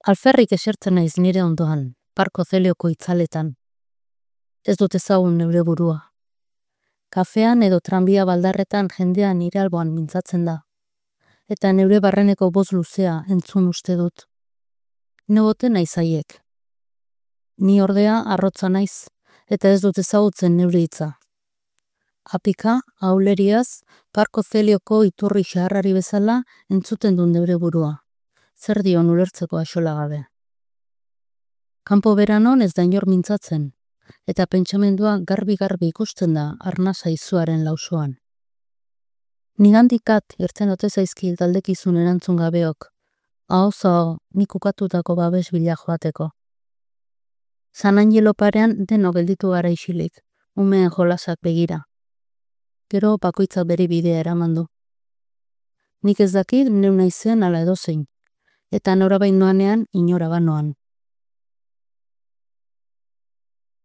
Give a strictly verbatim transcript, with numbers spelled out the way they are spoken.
Alferrik esertzen naiz nire ondoan, Parko Zelioko itzaletan. Ez dut ezagun neure burua. Kafean edo tranbia baldarretan jendea nire alboan mintzatzen da. Eta neure barreneko boz luzea entzun uste dut. Negote naiz haiek. Ni ordea arrotza naiz, eta ez dut ezagutzen neure hitza. Apika, auleriaz, Parko Zelioko iturri xaharrari bezala entzuten du neure burua. Zer dion ulertzeko axola gabe. Kanpo beranon ez da inor mintzatzen, eta pentsamendua garbi-garbi ikusten da arnasa izuaren lausoan. Nigandikat irten ote zaizkil taldekizun erantzun gabeok, ahoz-aho nik ukatutako babes bila joateko. San Angelo parean deno gelditu gara isilik, umeen jolasak begira. Gero bakoitzak bere bidea eraman du. Nik ez dakit neu naizen ala edozein, eta norabain noanean inora banoan.